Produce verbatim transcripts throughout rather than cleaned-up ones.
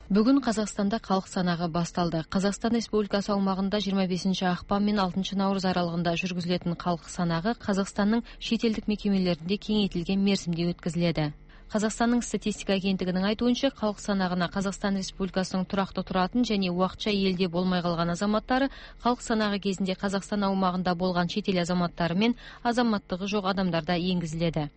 Бүгүн Казакстанда калк санагы басталды. Казакстан Республикасы аумагында жыйырма бешинчи акпан менен алтынчы наурыз аралыгында жүргүзүлөтүн калк санагы Казакстандын шет элдик мекемелеринде кеңейтилген мерзимде өткөзүлөдү. Казакстандын статистика агенттигинин айтуунча, калк санагына Казакстан Республикасынын турактуу туратын жана убакча элде болмой калган азаматтары, калк санагы кезинде Казакстан аумагында болгон чет эл азаматтары менен азаматтыгы жок адамдар да энгизилет.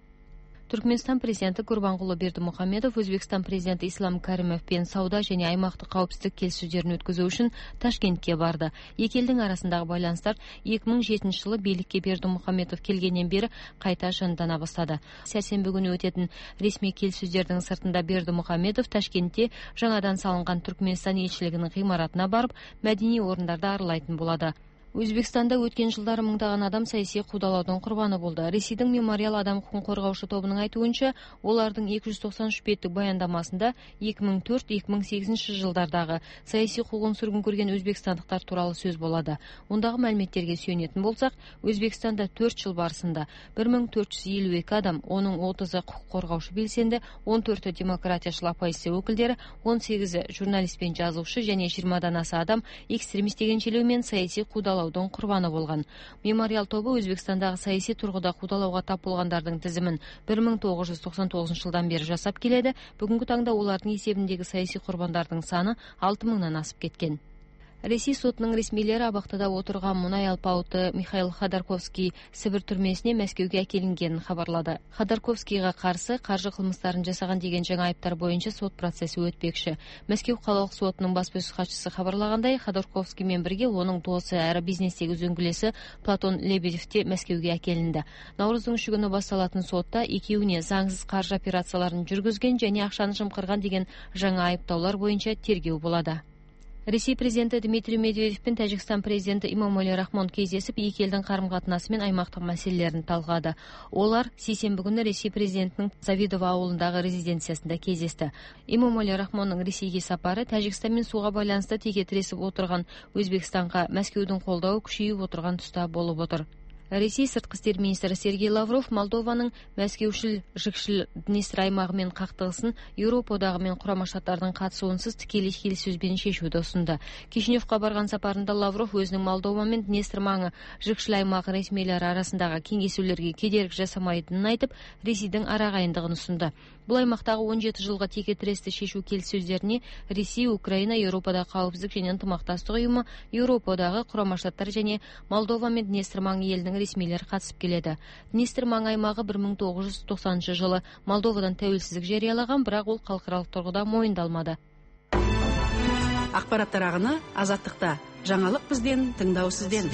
Түркмөнстан президенти Гурбангулы Бердимухамедов Өзбекстан президенти Ислам Каримов менен сауда жана аймактык каапсыздык келишүүлөрүн өткөзүү үчүн Ташкентке барды. Эки элдин арасындагы байланыштар эки миң жетинчи жылы бийликке Бердимухамедов келгенден бери кайта жандана баштады. Сәрсенбі күнү өтөтүн ресми келишүүлөрдүн сыртында Бердимухамедов Ташкентте жаңадан салынган Түркмөнстан элчилигинин гыймаратына барып, мәдәни орундарды аралайтын болду. Өзбекстанда өткен жылдары мыңдаган адам саясий куудалоодун курбаны болду. Ресейдин Мемориал адам укугун коргоочу тобунун айтуунча, олардын эки жүз токсон үч беттик баяндамасында эки миң төрт эки миң сегизинчи жылдардагы саясий куугун сүргүн көргөн өзбекстандыктар тууралуу сөз болду. Мундагы маалиметтерге сүйөнөтүн болсак, Өзбекстанда төрт жыл барысында бир миң төрт жүз элүү эки адам, онун отузу укук коргоочу белсенди, он төртү демократиячыл оппозиция өкүлдери, он сегизи журналист пен жазуучу жана жыйырмадан аса адам экстремист деген желөө менен саясий куудалоо курбаны болгон. Мемориал тобу Өзбекстандагы саясий тургуда куудалоого тап болгондордун тизимин бир миң тогуз жүз токсон тогузунчу жылдан бери жасап келеді. Бүгүнкү таңда улардын эсебиндеги саясий курбандардын саны алты миңден асып кеткен. Ресей сотунун ресмилери абактыда отурган мунай алпауыты Михаил Ходорковский Сибир түрмөсүнө Мәскеуге акелингенин кабарлады. Ходорковскийга каршы каржы кылмыштарын жасаган деген жаңы айыптар боюнча сот процесси өтпекчи. Мәскеу калалык сотунун баспасөз катчысы кабарлагандай, Ходорковский менен бирге онун досу әрі бизнестеги үзөңгүлөсү Платон Лебедев те Мәскеуге акелинди. Наурыздын үчү күнү башталатын сотта экөөүнө заңсыз каржы операцияларын жүргүзгөн жана акчаны жымкырган деген жаңы айыптоолор боюнча тергөө болот. Ресей президенти Дмитрий Медведев пен Тажикстан президенти Имомали Рахмон кездесип, эки элдин карым-катынасы менен аймактык маселелерин талкуулады. Олар сейсенбі күнү Ресей президентинин Завидово ауылындагы резиденциясында кездешти. Имомали Рахмондун Ресейге сапары Тажикстан менен сууга байланыштуу теке тиресип отурган Өзбекстанга Мәскеудүн колдоо күчөйүп отурган туста болуп отур. Ресей сырткы иштер министри Сергей Лавров Молдованын Мәскеушил Жыкшил Днестр аймагы менен кактыгысын Европа одагы менен Курама Штаттардын катышуусунсуз тикелей келишүүсүз менен чечүүдү сунду. Кишиневке барган сапарында Лавров өзүнүн Молдова менен Днестр маңы Жыкшил аймагы ресмийлери арасындагы кеңешүүлөргө кедерги жасамайтынын айтып, Ресейдин арагайындыгын сунду. Бул аймактагы он жети жылга теке тирести чечүү келишүүлөрүнө Ресей, Украина, Европада каапсыздык жана ынтымакташтык уюму, Европа одагы, Курама Штаттар жана Молдова менен Днестр маңы элинин ресмийлери катышып келеді. Днестр маңы аймагы бир миң тогуз жүз токсонунчу жылы Молдовадан тәуелсиздик жарыялаган, бирок ол калкаралык тургуда моюндалмады. Акпараттар агыны Азаттыкта. Жаңылык бизден, тыңдоо сизден.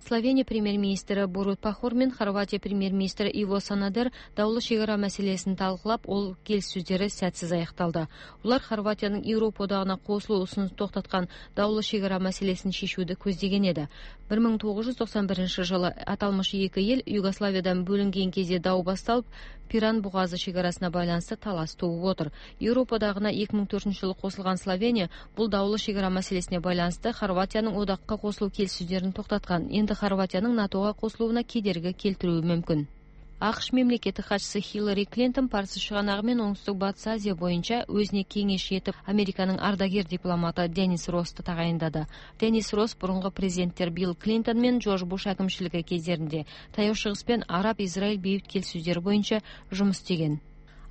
Словения премьер-министри Борут Пахор менен Хорватия премьер-министри Иво Санадер даулуу чек ара маселесин талкуулап, ол келишүүлөрү сәтсиз аякталды. Улар Хорватиянын Европа одагына кошулуусун токтоткан даулуу чек ара маселесин чечүүнү көздөгөн эди. бир миң тогуз жүз токсон биринчи жылы аталмыш эки эл Югославиядан бөлүнгөн кезде дау басталып, Пиран бугазы чек арасына байланыштуу талаш тууп отур. Европа одагына эки миң төртүнчү жылы кошулган Словения бул даулуу чек ара маселесине байланыштуу Хорватиянын одакка кошулуу келишүүлөрүн токтоткан. Энди Хорватиянын НАТОга кошулууна кедерги келтирүү мүмкүн. АКШ мемлекеттик катчысы Хиллари Клинтон Парсы чыганагы менен Оңтүстүк Батыс Азия боюнча өзүнө кеңеш этип Американын ардагер дипломаты Денис Россту тагайындады. Денис Росс бурунку президенттер Билл Клинтон менен Джордж Буш акимчилиги кездеринде Таяу Чыгыс пен Араб-Израиль бейбит келишүүлөрү боюнча жумуш истеген.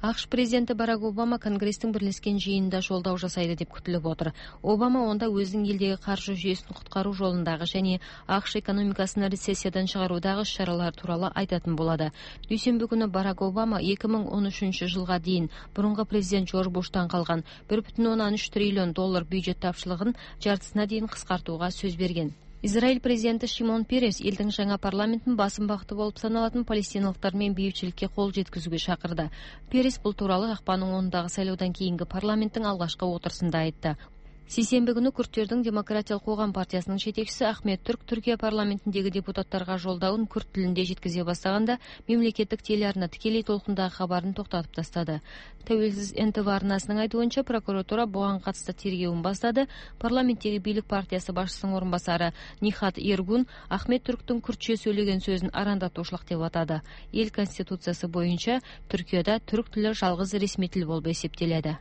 АКШ президенти Барак Обама Конгресстин бирлешкен жыйынында жолдоо жасайды деп күтүлүп отур. Обама онда өзүнүн элдеги каржы жүйөсүн куткаруу жолундагы жана АКШ экономикасын рецессиядан чыгаруудагы иш-чаралар тууралуу айтатын болот. Дүйшөмбү күнү Барак Обама эки миң он үчүнчү жылга дейин бурунку президент Джордж Буштан калган бир бүтүн ондон үч триллион доллар бюджет тапшырыгын жартысына дейин кыскартууга сөз берген. Израиль президенти Шимон Перес элдин жаңа парламентин басым багыты болуп саналатын палестиналыктар менен бейбитчиликке кол жеткизүүгө чакырды. Перес бул тууралуу акпандын онундагы шайлоодон кийинки парламенттин алгачкы отурусунда айтты. Сейсенбі күнү Күрттөрдүн Демократиялык коогам партиясынын жетекчиси Ахмет Түрк Түркия парламентиндеги депутаттарга жолдоон күрт тилинде жеткизе бастаганда мемлекеттик телеарна тикелей толкундагы кабарын токтотуп тастады. Тәуелсиз эн тэ вэ арнасынын айтуунча, прокуратура буга катысты тергөөүн баштады. Парламенттеги бийлик партиясы башчысынын орун басары Нихат Эргун Ахмет Түрктүн күртчө сүйлөгөн сөзүн арандатуучулук деп атады. Эл конституциясы боюнча Түркияда түрк тили жалгыз ресмий тил болуп эсептелет.